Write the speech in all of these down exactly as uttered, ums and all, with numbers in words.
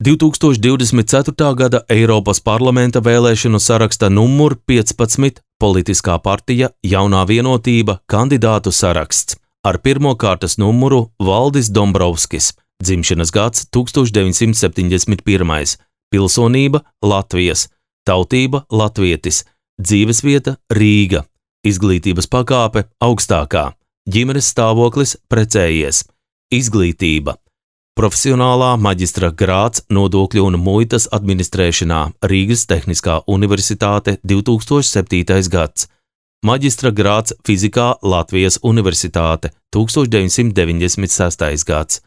divtūkstoš divdesmit ceturtā gada Eiropas parlamenta vēlēšanu saraksta numur piecpadsmit politiskā partija Jaunā vienotība kandidātu saraksts ar pirmo kārtas numuru Valdis Dombrovskis, dzimšanas gads tūkstoš deviņsimt septiņdesmit pirmais, pilsonība Latvijas, tautība latvietis, dzīvesvieta Rīga, izglītības pakāpe augstākā, ģimenes stāvoklis precējies, izglītība. Profesionālā maģistra grāds nodokļu un muitas administrēšanā Rīgas Tehniskā universitāte divtūkstoš septītais gads. Maģistra grāds fizikā Latvijas universitāte tūkstoš deviņsimt deviņdesmit sestais gads.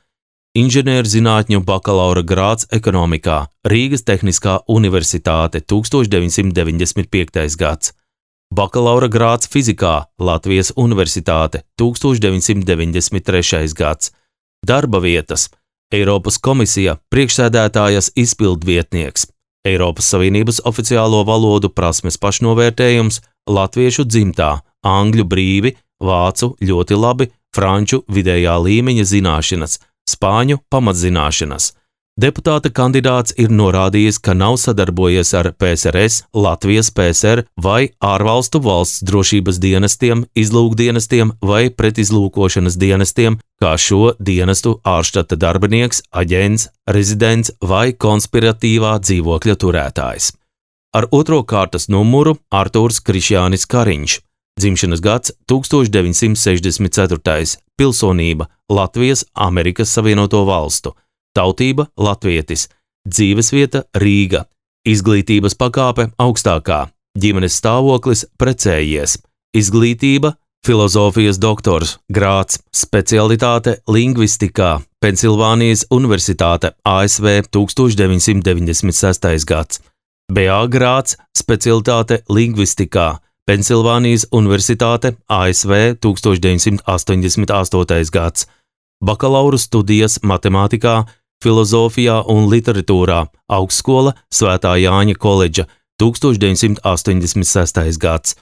Inženierzinātņu bakalaura grāds ekonomikā Rīgas Tehniskā universitāte tūkstoš deviņsimt deviņdesmit piektais gads. Bakalaura grāds fizikā Latvijas universitāte tūkstoš deviņsimt deviņdesmit trešais gads. Darba vietas Eiropas komisija priekšsēdētājas izpildvietnieks, Eiropas Savienības oficiālo valodu prasmes pašnovērtējums, latviešu dzimtā, angļu brīvi, vācu ļoti labi, franču vidējā līmeņa zināšanas, spāņu pamatzināšanas. Deputāta kandidāts ir norādījis, ka nav sadarbojies ar P S R S, Latvijas P S R vai ārvalstu valsts drošības dienestiem, izlūkdienestiem vai pretizlūkošanas dienestiem, kā šo dienestu ārštata darbinieks, aģents, rezidents vai konspiratīvā dzīvokļa turētājs. Ar otro kārtas numuru Artūrs Krišjānis Kariņš, dzimšanas gads tūkstoš deviņsimt sešdesmit ceturtais, pilsonība Latvijas Amerikas Savienoto Valstu, tautība latvietis, dzīvesvieta Rīga, izglītības pakāpe augstākā, ģimenes stāvoklis precējies, izglītība filozofijas doktors, grāds, specialitāte lingvistikā, Pensilvānijas Universitāte A S V tūkstoš deviņsimt deviņdesmit sestais gads, B A grāds, specialitāte lingvistikā, Pensilvānijas Universitāte A S V tūkstoš deviņsimt astoņdesmit astotais gads, bakalaura studijas matemātikā, filozofijā un literatūrā, augstskola Svētā Jāņa koledža tūkstoš deviņsimt astoņdesmit sestais gads,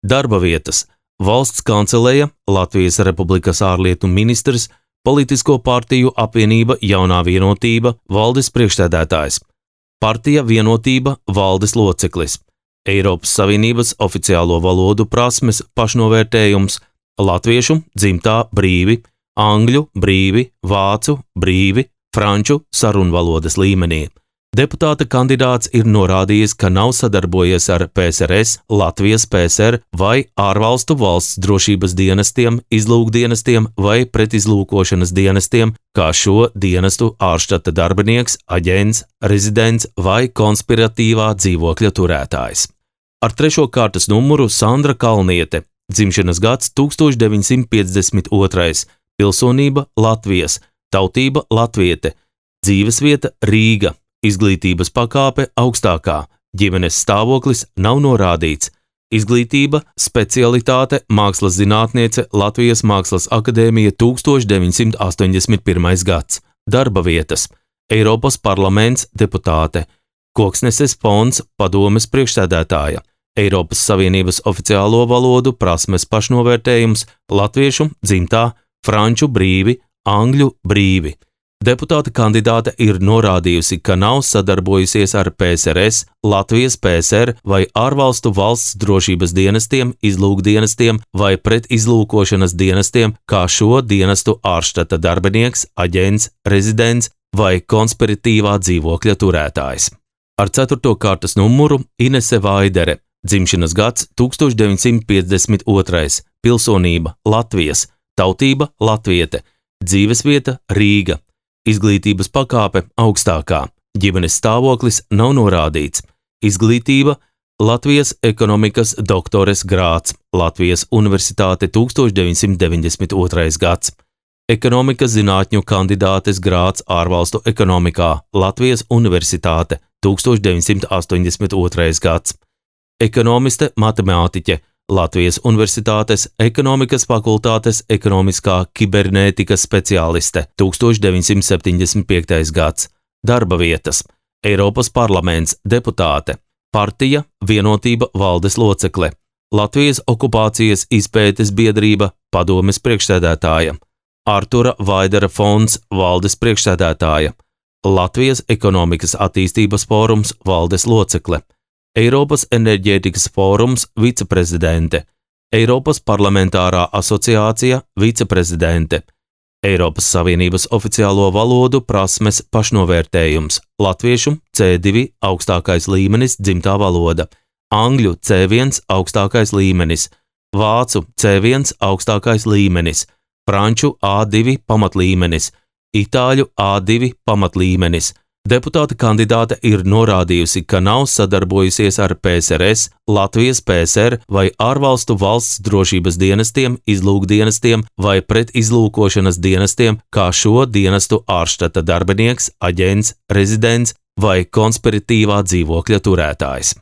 darba vietas, valsts kanceleja, Latvijas Republikas ārlietu ministrs, politisko partiju apvienība Jaunā vienotība, valdes priekšsēdētājs, partija vienotība, valdes loceklis, Eiropas Savienības oficiālo valodu prasmes pašnovērtējums, latviešu dzimtā brīvi, angļu brīvi, vācu brīvi, franču sarunvalodas līmenī. Deputāta kandidāts ir norādījis, ka nav sadarbojies ar P S R S, Latvijas P S R vai ārvalstu valsts drošības dienestiem, izlūkdienestiem vai pretizlūkošanas dienestiem, kā šo dienestu ārštata darbinieks, aģents, rezidents vai konspiratīvā dzīvokļa turētājs. Ar trešo kārtas numuru Sandra Kalniete, dzimšanas gads tūkstoš deviņsimt piecdesmit otrais, pilsonība Latvijas, tautība latviete, dzīvesvieta Rīga, izglītības pakāpe augstākā, ģimenes stāvoklis nav norādīts, izglītība, specialitāte mākslas zinātniece Latvijas Mākslas akadēmija tūkstoš deviņsimt astoņdesmit pirmais gads, darba vietas, Eiropas parlaments deputāte, Koksneses fonds padomes priekšsēdētāja, Eiropas Savienības oficiālo valodu prasmes pašnovērtējums, latviešu dzimtā, franču brīvi, angļu brīvi. Deputāta kandidāte ir norādījusi, ka nav sadarbojusies ar P S R S, Latvijas P S R vai ārvalstu valsts drošības dienestiem, izlūkdienestiem vai pretizlūkošanas dienestiem, kā šo dienestu ārštata darbinieks, aģents, rezidents vai konspiratīvā dzīvokļa turētājs. Ar ceturto kārtas numuru Inese Vaidere, dzimšanas gads tūkstoš deviņsimt piecdesmit otrais, pilsonība Latvijas, tautība latviete, dzīvesvieta Rīga, izglītības pakāpe augstākā, ģimenes stāvoklis nav norādīts, izglītība Latvijas ekonomikas doktores grāds, Latvijas Universitāte tūkstoš deviņsimt deviņdesmit otrais gads, ekonomikas zinātņu kandidātes grāds ārvalstu ekonomikā, Latvijas Universitāte tūkstoš deviņsimt astoņdesmit otrais gads, ekonomiste matemātiķe, Latvijas Universitātes ekonomikas fakultātes ekonomiskā kibernētikas speciāliste tūkstoš deviņsimt septiņdesmit piektais gads, darba vietas, Eiropas parlaments deputāte, partija vienotība valdes locekle, Latvijas okupācijas izpētes biedrība padomes priekšsēdētāja, Artura Vaidera fonds valdes priekšsēdētāja, Latvijas ekonomikas attīstības fórums valdes locekle, Eiropas enerģētikas fórums viceprezidente, Eiropas parlamentārā asociācija viceprezidente, Eiropas Savienības oficiālo valodu prasmes pašnovērtējums, latviešu C divi augstākais līmenis dzimtā valoda, angļu C viens augstākais līmenis, vācu C viens augstākais līmenis, franču A divi pamatlīmenis, itāļu A divi pamatlīmenis. Deputāta kandidāte ir norādījusi, ka nav sadarbojusies ar P S R S, Latvijas P S R vai ārvalstu valsts drošības dienestiem, izlūkdienestiem vai pretizlūkošanas dienestiem, kā šo dienestu ārštata darbinieks, aģents, rezidents vai konspiratīvā dzīvokļa turētājs.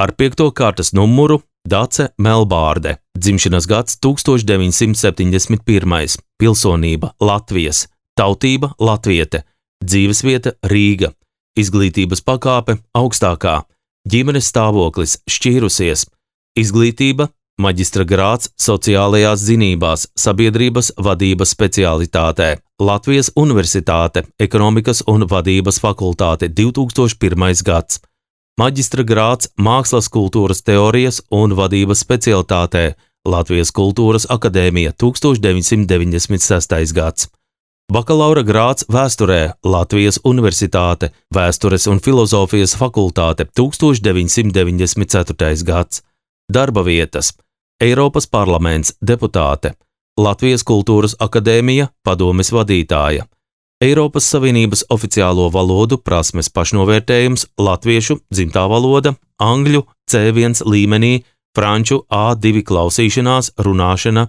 Ar piekto kārtas numuru Dace Melbārde, dzimšanas gads tūkstoš deviņsimt septiņdesmit pirmais, pilsonība Latvijas, tautība latviete, dzīvesvieta Rīga, izglītības pakāpe augstākā, ģimenes stāvoklis šķīrusies, izglītība maģistra grāds sociālajās zinībās, sabiedrības vadības specialitātē, Latvijas Universitāte, ekonomikas un vadības fakultāte divi tūkstoši pirmais gads, maģistra grāds mākslas kultūras teorijas un vadības specialitātē, Latvijas Kultūras akadēmija tūkstoš deviņsimt deviņdesmit sestais gads. Bakalaura grāds vēsturē, Latvijas Universitāte, vēstures un filozofijas fakultāte tūkstoš deviņsimt deviņdesmit ceturtais gads. Darba vietas, Eiropas parlaments, deputāte, Latvijas Kultūras akadēmija, padomes vadītāja, Eiropas Savienības oficiālo valodu prasmes pašnovērtējums, latviešu dzimtā valoda, angļu C viens līmenī, franču A divi klausīšanās, runāšana,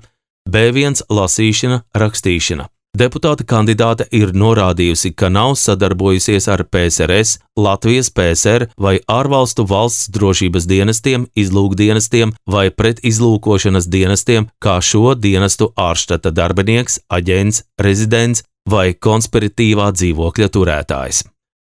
B viens lasīšana, rakstīšana. Deputāta kandidāte ir norādījusi, ka nav sadarbojusies ar P S R S, Latvijas P S R vai ārvalstu valsts drošības dienestiem, izlūkdienestiem vai pretizlūkošanas dienestiem, kā šo dienestu ārštata darbinieks, aģents, rezidents vai konspiratīvā dzīvokļa turētājs.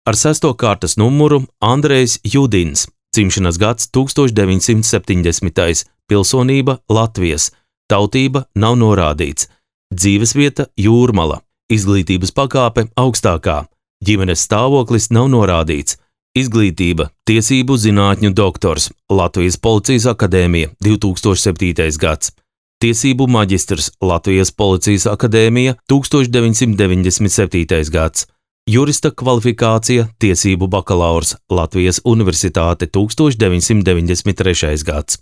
Ar sesto kārtas numuru Andrejs Judins, dzimšanas gads tūkstoš deviņsimt septiņdesmitais, pilsonība Latvijas, tautība nav norādīts. Dzīvesvieta Jūrmala, izglītības pakāpe augstākā, ģimenes stāvoklis nav norādīts, izglītība tiesību zinātņu doktors, Latvijas Policijas akadēmija divi tūkstoši septītais gads, tiesību maģistrs, Latvijas Policijas akadēmija tūkstoš deviņsimt deviņdesmit septītais gads, jurista kvalifikācija, tiesību bakalaurs, Latvijas Universitāte tūkstoš deviņsimt deviņdesmit trešais gads,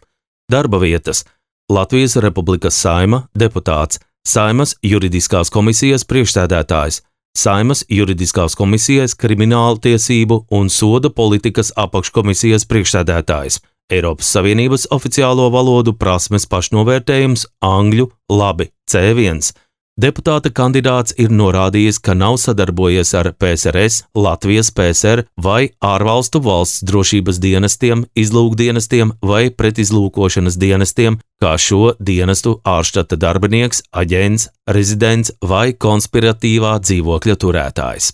darba vietas, Latvijas Republikas Saima, deputāts, Saimas juridiskās komisijas priekšsēdētājs, Saimas juridiskās komisijas krimināla tiesību un soda politikas apakškomisijas priekšsēdētājs, Eiropas Savienības oficiālo valodu prasmes pašnovērtējums angļu labi C viens. Deputāta kandidāts ir norādījis, ka nav sadarbojies ar P S R S, Latvijas P S R vai ārvalstu valsts drošības dienestiem, izlūkdienestiem vai pretizlūkošanas dienestiem, kā šo dienestu ārštata darbinieks, aģents, rezidents vai konspiratīvā dzīvokļa turētājs.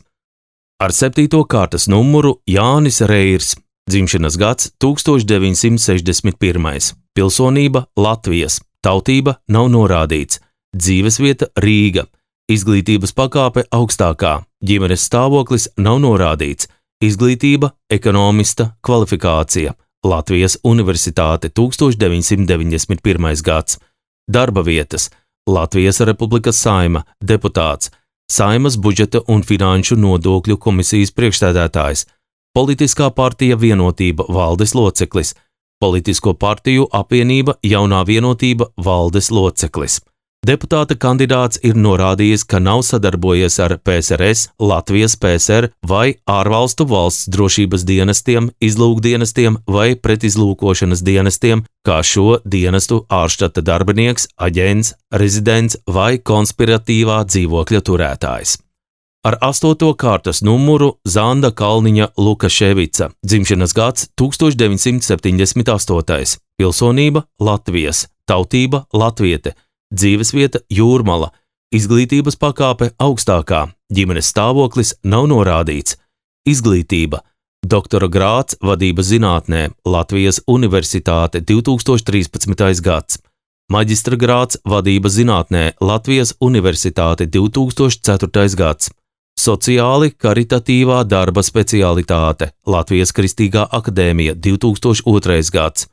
Ar septīto kārtas numuru Jānis Reirs, dzimšanas gads tūkstoš deviņsimt sešdesmit pirmais, pilsonība Latvijas, tautība nav norādīts. Dzīvesvieta Rīga, izglītības pakāpe augstākā, ģimenes stāvoklis nav norādīts, izglītība ekonomista kvalifikācija, Latvijas Universitāte tūkstoš deviņsimt deviņdesmit pirmais gads, darba vietas, Latvijas Republikas Saima, deputāts, Saimas budžeta un finanšu nodokļu komisijas priekšsēdētājs, politiskā partija Vienotība valdes loceklis, politisko partiju apvienība Jaunā Vienotība valdes loceklis. Deputāta kandidāts ir norādījis, ka nav sadarbojies ar P S R S, Latvijas P S R vai ārvalstu valsts drošības dienestiem, izlūkdienestiem vai pretizlūkošanas dienestiem, kā šo dienestu ārštata darbinieks, aģents, rezidents vai konspiratīvā dzīvokļa turētājs. Ar astoto kārtas numuru Zanda Kalniņa Lukaševica, dzimšanas gads tūkstoš deviņsimt septiņdesmit astotais, pilsonība Latvijas, tautība latviete, dzīvesvieta Jūrmala, izglītības pakāpe augstākā, ģimenes stāvoklis nav norādīts, izglītība, doktora grāds vadības zinātnē, Latvijas Universitāte divi tūkstoši trīspadsmitais gads, maģistra grāds vadības zinātnē, Latvijas Universitāte divi tūkstoši ceturtais gads, Sociāli karitatīvā darba specialitāte, Latvijas Kristīgā akadēmija, divi tūkstoši otrais gads.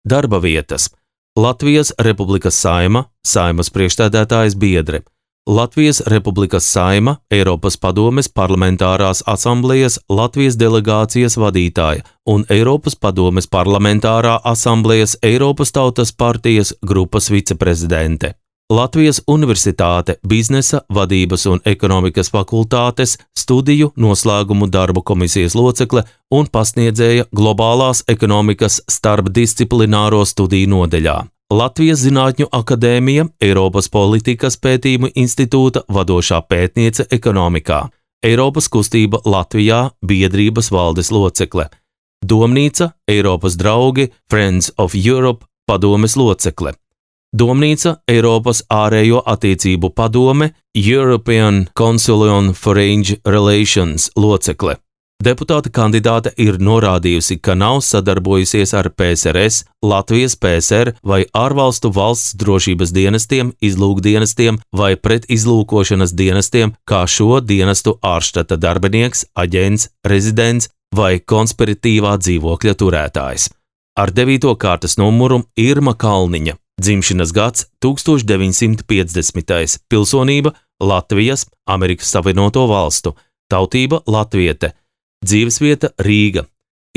Darba vietas. Latvijas Republikas Saima, Saimas priekšsēdētājas biedre. Latvijas Republikas Saima, Eiropas padomes parlamentārās asamblejas Latvijas delegācijas vadītāja un Eiropas padomes parlamentārā asamblejas Eiropas tautas partijas grupas viceprezidente. Latvijas Universitāte biznesa, vadības un ekonomikas fakultātes studiju noslēgumu darbu komisijas locekle un pasniedzēja globālās ekonomikas starpdisciplināro studiju nodeļā. Latvijas Zinātņu akadēmija, Eiropas politikas pētījumu institūta vadošā pētniece ekonomikā. Eiropas kustība Latvijā biedrības valdes locekle. Domnīca, Eiropas draugi, Friends of Europe padomes locekle. Domnīca, Eiropas ārējo attiecību padome, European Council on Foreign Relations locekle. Deputāta kandidāte ir norādījusi, ka nav sadarbojusies ar P S R S, Latvijas P S R vai ārvalstu valsts drošības dienestiem, izlūkdienestiem vai pretizlūkošanas dienestiem, kā šo dienestu ārštata darbinieks, aģents, rezidents vai konspiratīvā dzīvokļa turētājs. Ar devīto kārtas numuru Irma Kalniņa. Dzimšanas gads tūkstoš deviņsimt piecdesmitais. Pilsonība Latvijas, Amerikas Savienoto Valstu. Tautība latviete. Dzīvesvieta Rīga.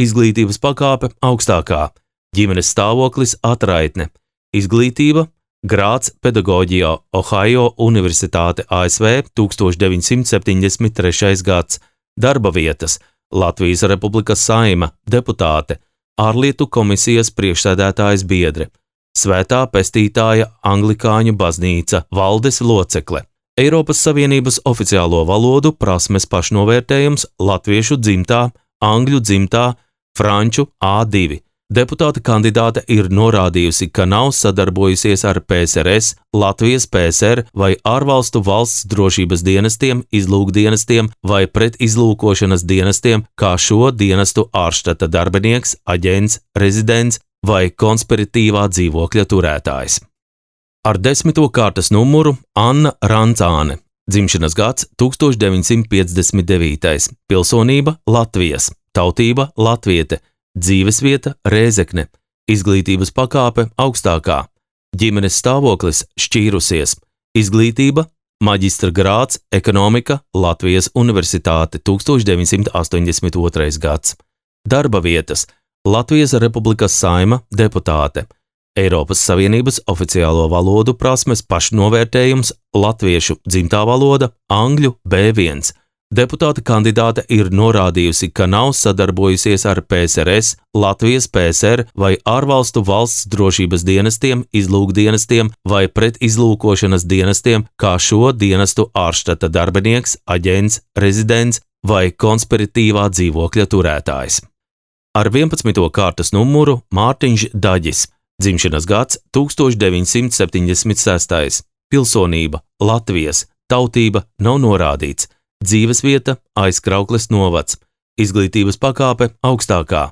Izglītības pakāpe augstākā. Ģimenes stāvoklis atraitne. Izglītība grāds pedagoģijā Ohio Universitāte A S V tūkstoš deviņsimt septiņdesmit trešais gads. Darba vietas Latvijas Republikas Saima, deputāte, ārlietu komisijas priekšsēdētājas biedre. Svētā pestītāja Anglikāņu baznīca, valdes locekle. Eiropas Savienības oficiālo valodu prasmes pašnovērtējums latviešu dzimtā, angļu dzimtā, franču A divi. Deputāta kandidāte ir norādījusi, ka nav sadarbojusies ar P S R S, Latvijas P S R vai ārvalstu valsts drošības dienestiem, izlūkdienestiem vai pretizlūkošanas dienestiem, kā šo dienestu ārštata darbinieks, aģents, rezidents vai konspiratīvā dzīvokļa turētājs. Ar desmito kārtas numuru Anna Rancāne. Dzimšanas gads tūkstoš deviņsimt piecdesmit devītais. Pilsonība Latvijas. Tautība latviete. Dzīvesvieta Rēzekne. Izglītības pakāpe augstākā. Ģimenes stāvoklis šķīrusies. Izglītība maģistra grāds ekonomika Latvijas Universitāte tūkstoš deviņsimt astoņdesmit otrais gads. Darba vietas Latvijas Republikas Saima, deputāte. Eiropas Savienības oficiālo valodu prasmes pašnovērtējums latviešu dzimtā valoda, angļu B viens. Deputāta kandidāte ir norādījusi, ka nav sadarbojusies ar P S R S, Latvijas P S R vai ārvalstu valsts drošības dienestiem, izlūkdienestiem vai pretizlūkošanas dienestiem, kā šo dienestu ārštata darbinieks, aģents, rezidents vai konspiratīvā dzīvokļa turētājs. Ar vienpadsmito kārtas numuru Mārtiņš Daģis. Dzimšanas gads tūkstoš deviņsimt septiņdesmit sestais. Pilsonība Latvijas. Tautība nav norādīts. Dzīvesvieta Aizkraukles novads. Izglītības pakāpe augstākā.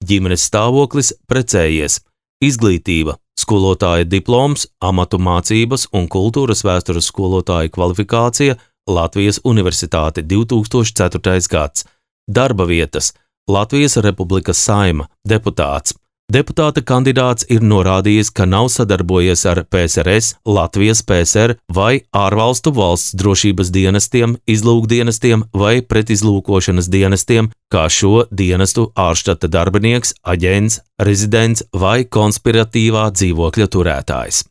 Ģimenes stāvoklis precējies. Izglītība skolotāja diploms, amatu mācības un kultūras vēstures skolotāja kvalifikācija Latvijas Universitāte divi tūkstoši ceturtais gads. Darba vietas Latvijas Republikas Saima, deputāts. Deputāta kandidāts ir norādījis, ka nav sadarbojies ar P S R S, Latvijas P S R vai ārvalstu valsts drošības dienestiem, izlūkdienestiem vai pretizlūkošanas dienestiem, kā šo dienestu ārštata darbinieks, aģents, rezidents vai konspiratīvā dzīvokļa turētājs.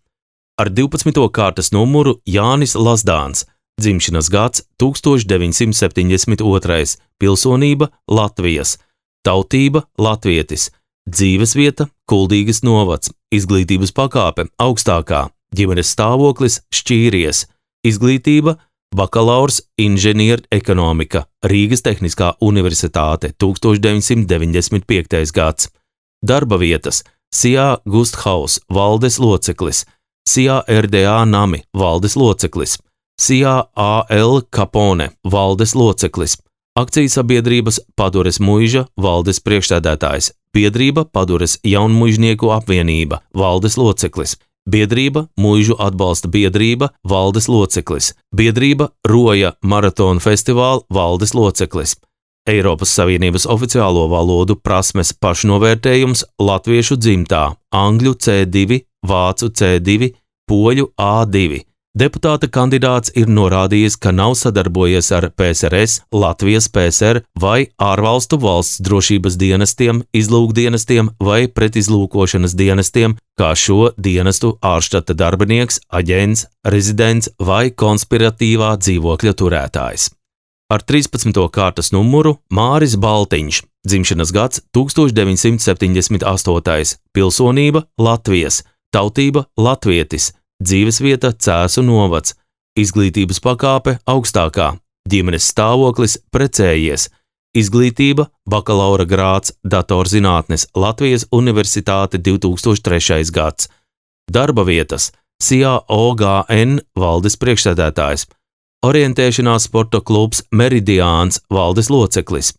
Ar divpadsmito kārtas numuru Jānis Lazdāns. Dzimšanas gads tūkstoš deviņsimt septiņdesmit otrais. Pilsonība Latvijas. Tautība latvietis. Dzīvesvieta Kuldīgas novads. Izglītības pakāpe augstākā. Ģimenes stāvoklis šķīries. Izglītība bakalaurs inženieru ekonomika. Rīgas Tehniskā universitāte tūkstoš deviņsimt deviņdesmit piektais gads. Darba vietas S I A Gusthaus valdes loceklis. S I A R D A Nami valdes loceklis. S I A A L Capone valdes loceklis. Akciju sabiedrības Padures muiža valdes priekšsēdētājs. Biedrība Padures jaunmuižnieku apvienība valdes loceklis. Biedrība Muižu atbalsta biedrība valdes loceklis, biedrība Roja maratona festivāla valdes loceklis, Eiropas Savienības oficiālo valodu prasmes pašnovērtējums latviešu dzimtā, angļu C divi, vācu C divi, poļu A divi. Deputāta kandidāts ir norādījis, ka nav sadarbojies ar P S R S, Latvijas P S R vai ārvalstu valsts drošības dienestiem, izlūkdienestiem vai pretizlūkošanas dienestiem, kā šo dienestu ārštata darbinieks, aģents, rezidents vai konspiratīvā dzīvokļa turētājs. Ar trīspadsmito kārtas numuru Māris Baltiņš, dzimšanas gads tūkstoš deviņsimt septiņdesmit astotais, pilsonība Latvijas, tautība latvietis, dzīvesvieta Cēsu novads, izglītības pakāpe augstākā, ģimenes stāvoklis precējies, izglītība bakalaura grāds datorzinātnes Latvijas Universitāte divi tūkstoši trešais gads, darba vietas S I A O G N valdes priekšsēdētājs, orientēšanās sporta klubs Meridiāns valdes loceklis,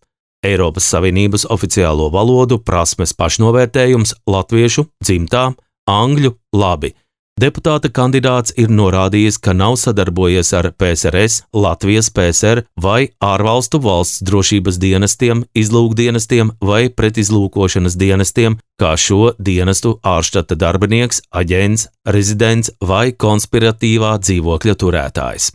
Eiropas Savienības oficiālo valodu prasmes pašnovērtējums latviešu dzimtā, angļu labi. Deputāta kandidāts ir norādījis, ka nav sadarbojies ar P S R S, Latvijas P S R vai ārvalstu valsts drošības dienestiem, izlūkdienestiem vai pretizlūkošanas dienestiem, kā šo dienestu ārštata darbinieks, aģents, rezidents vai konspiratīvā dzīvokļa turētājs.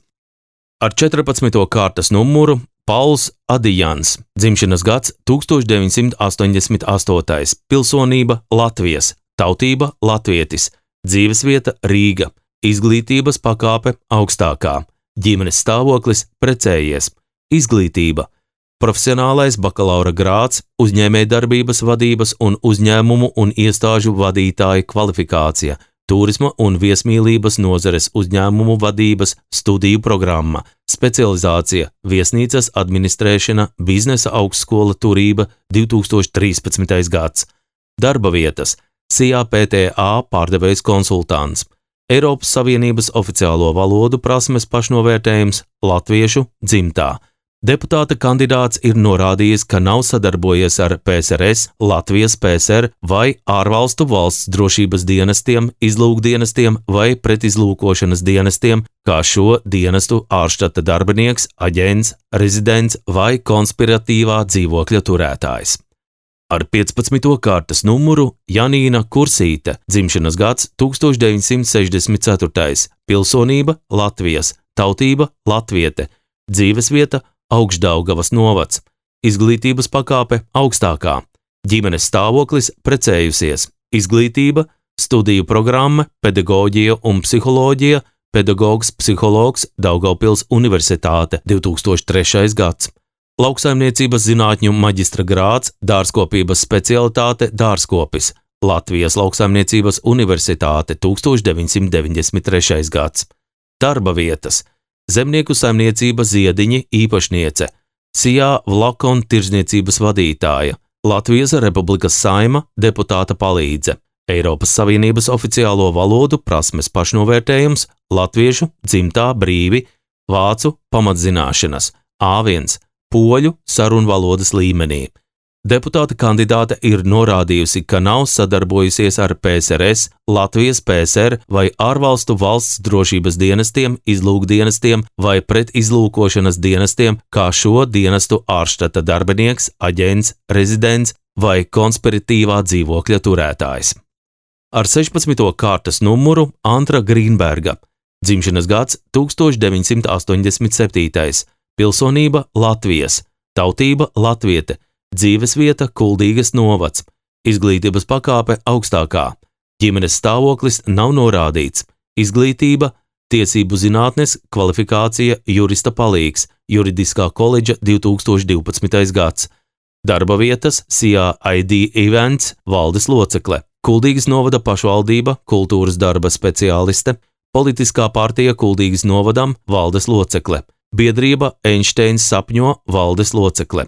Ar četrpadsmito kārtas numuru Pauls Adijans, dzimšanas gads tūkstoš deviņsimt astoņdesmit astotais, pilsonība Latvijas, tautība latvietis, dzīvesvieta Rīga, izglītības pakāpe augstākā, ģimenes stāvoklis precējies, izglītība, profesionālais bakalaura grāds, uzņēmējdarbības vadības un uzņēmumu un iestāžu vadītāja kvalifikācija, turisma un viesmīlības nozares uzņēmumu vadības studiju programma, specializācija, viesnīcas administrēšana, biznesa augstskola turība divi tūkstoši trīspadsmitais gads, darba vietas, S I A P T A pārdevējs konsultants, Eiropas Savienības oficiālo valodu prasmes pašnovērtējums latviešu dzimtā. Deputāta kandidāts ir norādījis, ka nav sadarbojies ar P S R S, Latvijas P S R vai ārvalstu valsts drošības dienestiem, izlūkdienestiem vai pretizlūkošanas dienestiem, kā šo dienestu ārštata darbinieks, aģents, rezidents vai konspiratīvā dzīvokļa turētājs. Ar piecpadsmito kārtas numuru Janīna Kursīte, dzimšanas gads tūkstoš deviņsimt sešdesmit ceturtais, pilsonība Latvijas, tautība latviete, dzīvesvieta Augšdaugavas novads, izglītības pakāpe augstākā, ģimenes stāvoklis precējusies, izglītība, studiju programma, pedagoģija un psiholoģija, pedagogs, psihologs, Daugavpils Universitāte divi tūkstoši trešais gads. Lauksaimniecības zinātņu maģistra grāds, dārzkopības specialitāte dārzkopis, Latvijas Lauksaimniecības Universitāte tūkstoš deviņsimt deviņdesmit trešais gads. Darba vietas, zemnieku saimniecība Ziediņi īpašniece, S I A Vlakon tirzniecības vadītāja, Latvijas Republikas Saima deputāta palīdze, Eiropas Savienības oficiālo valodu prasmes pašnovērtējums latviešu dzimtā brīvi, vācu pamatzināšanas, A viens, poļu sarunvalodas līmenī. Deputāta kandidāte ir norādījusi, ka nav sadarbojusies ar P S R S, Latvijas P S R vai ārvalstu valsts drošības dienestiem, izlūkdienestiem vai pretizlūkošanas dienestiem, kā šo dienestu ārštata darbinieks, aģents, rezidents vai konspiratīvā dzīvokļa turētājs. Ar sešpadsmito kārtas numuru Antra Grīnberga, dzimšanas gads tūkstoš deviņsimt astoņdesmit septītais, pilsonība Latvijas, tautība latviete, dzīvesvieta Kuldīgas novads, izglītības pakāpe augstākā, ģimenes stāvoklis nav norādīts, izglītība, tiesību zinātnes, kvalifikācija jurista palīgs, juridiskā koledža divi tūkstoši divpadsmitais gads, darba vietas S I A I D Events valdes locekle, Kuldīgas novada pašvaldība, kultūras darba speciāliste, politiskā partija Kuldīgas novadam valdes locekle, biedrība Einsteins sapņo valdes locekle,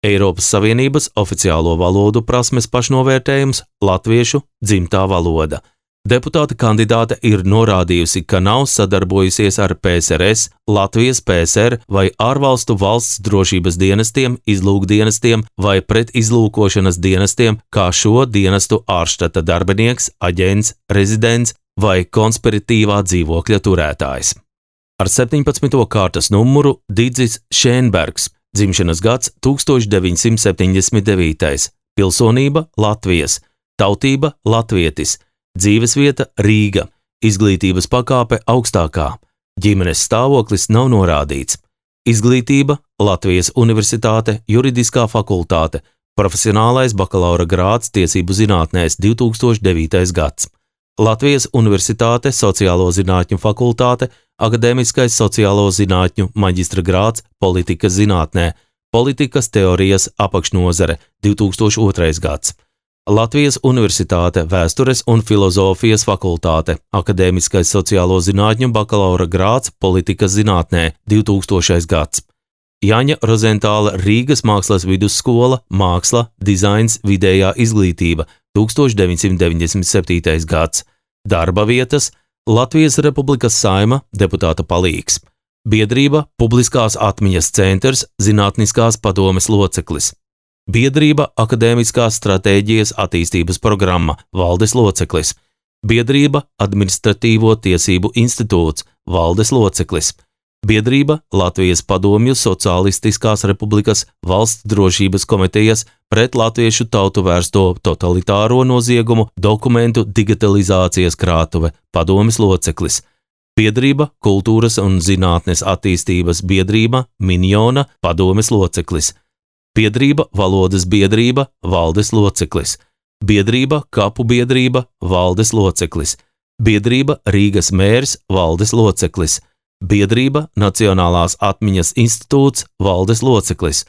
Eiropas Savienības oficiālo valodu prasmes pašnovērtējums latviešu dzimtā valoda, Deputāta kandidāte ir norādījusi, ka nav sadarbojusies ar P S R S, Latvijas P S R vai ārvalstu valsts drošības dienestiem, izlūkdienestiem vai pretizlūkošanas dienestiem, kā šo dienestu ārštata darbinieks, aģents, rezidents vai konspiratīvā dzīvokļa turētājs. Ar septiņpadsmito kārtas numuru Didzis Šēnbergs, dzimšanas gads tūkstoš deviņsimt septiņdesmit devītais, pilsonība Latvijas, tautība latvietis, dzīvesvieta Rīga, izglītības pakāpe augstākā, ģimenes stāvoklis nav norādīts, izglītība Latvijas Universitāte, juridiskā fakultāte, profesionālais bakalaura grāds tiesību zinātnēs divi tūkstoši devītais gads, Latvijas Universitāte, sociālo zinātņu fakultāte, akadēmiskais sociālo zinātņu maģistra grāds politikas zinātnē, politikas teorijas apakšnozare divi tūkstoši otrais gads. Latvijas Universitāte, vēstures un filozofijas fakultāte, akadēmiskais sociālo zinātņu bakalaura grāds politikas zinātnē divi tūkstošais gads. Jaņa Rozentāla Rīgas mākslas vidusskola, māksla, dizains, vidējā izglītība tūkstoš deviņsimt deviņdesmit septītais gads. Darba vietas Latvijas Republikas Saeima, deputāta palīgs. Biedrība Publiskās atmiņas centrs, zinātniskās padomes loceklis. Biedrība Akadēmiskās stratēģijas attīstības programma, valdes loceklis. Biedrība Administratīvo tiesību institūts, valdes loceklis. Biedrība Latvijas Padomju Sociālistiskās Republikas valsts drošības komitejas pret latviešu tautu vērsto totalitāro noziegumu dokumentu digitalizācijas krātuve, padomes loceklis. Biedrība Kultūras un zinātnes attīstības biedrība Minjona, padomes loceklis. Biedrība Valodas biedrība, valdes loceklis. Biedrība Kapu biedrība, valdes loceklis. Biedrība Rīgas mērs, valdes loceklis. Biedrība Nacionālās atmiņas institūts, valdes loceklis.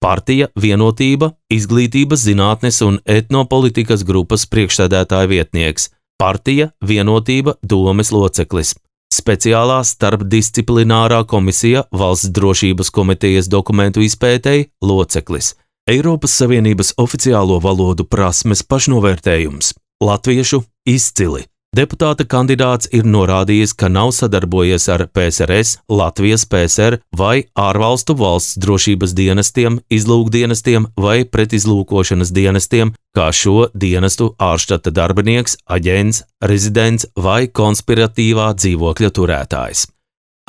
Partija Vienotība, izglītības zinātnes un etnopolitikas grupas priekšsēdētāja vietnieks. Partija Vienotība, domes loceklis. Speciālā starpdisciplinārā komisija Valsts drošības komitejas dokumentu izpētēji loceklis. Eiropas Savienības oficiālo valodu prasmes pašnovērtējums. Latviešu izcili. Deputāta kandidāts ir norādījis, ka nav sadarbojies ar P S R S, Latvijas P S R vai ārvalstu valsts drošības dienestiem, izlūkdienestiem vai pretizlūkošanas dienestiem, kā šo dienestu ārštata darbinieks, aģents, rezidents vai konspiratīvā dzīvokļa turētājs.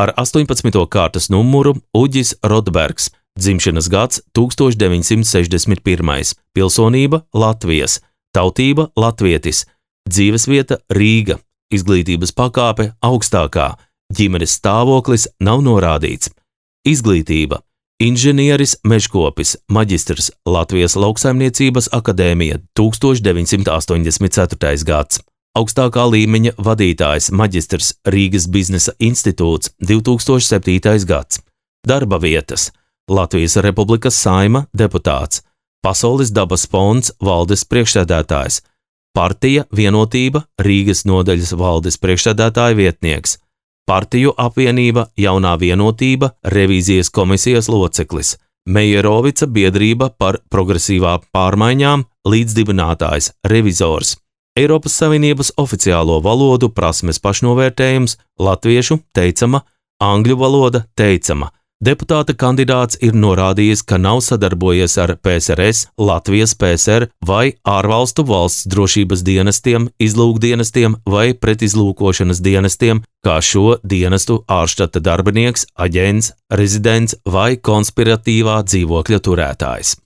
Ar astoņpadsmito kārtas numuru Uģis Rotbergs, dzimšanas gads tūkstoš deviņsimt sešdesmit pirmais, pilsonība Latvijas, tautība latvietis, dzīvesvieta Rīga, izglītības pakāpe augstākā, ģimenes stāvoklis nav norādīts. Izglītība inženieris mežkopis, maģistrs Latvijas lauksaimniecības akadēmija tūkstoš deviņsimt astoņdesmit ceturtais gads. Augstākā līmeņa vadītājs maģistrs Rīgas biznesa institūts divi tūkstoši septītais gads. Darba vietas Latvijas Republikas Saeima deputāts, Pasaules dabas fonds valdes priekšsēdētājs, Partija Vienotība Rīgas nodaļas valdes priekšsēdētāja vietnieks, Partiju apvienība Jaunā Vienotība revīzijas komisijas loceklis, Mejerovica biedrība par progresīvā pārmaiņām līdzdibinātājs, revizors, Eiropas Savienības oficiālo valodu prasmes pašnovērtējums, latviešu teicama, angļu valoda teicama. Deputāta kandidāts ir norādījis, ka nav sadarbojies ar P S R S, Latvijas P S R vai ārvalstu valsts drošības dienestiem, izlūkdienestiem vai pretizlūkošanas dienestiem, kā šo dienestu ārštata darbinieks, aģents, rezidents vai konspiratīvā dzīvokļa turētājs.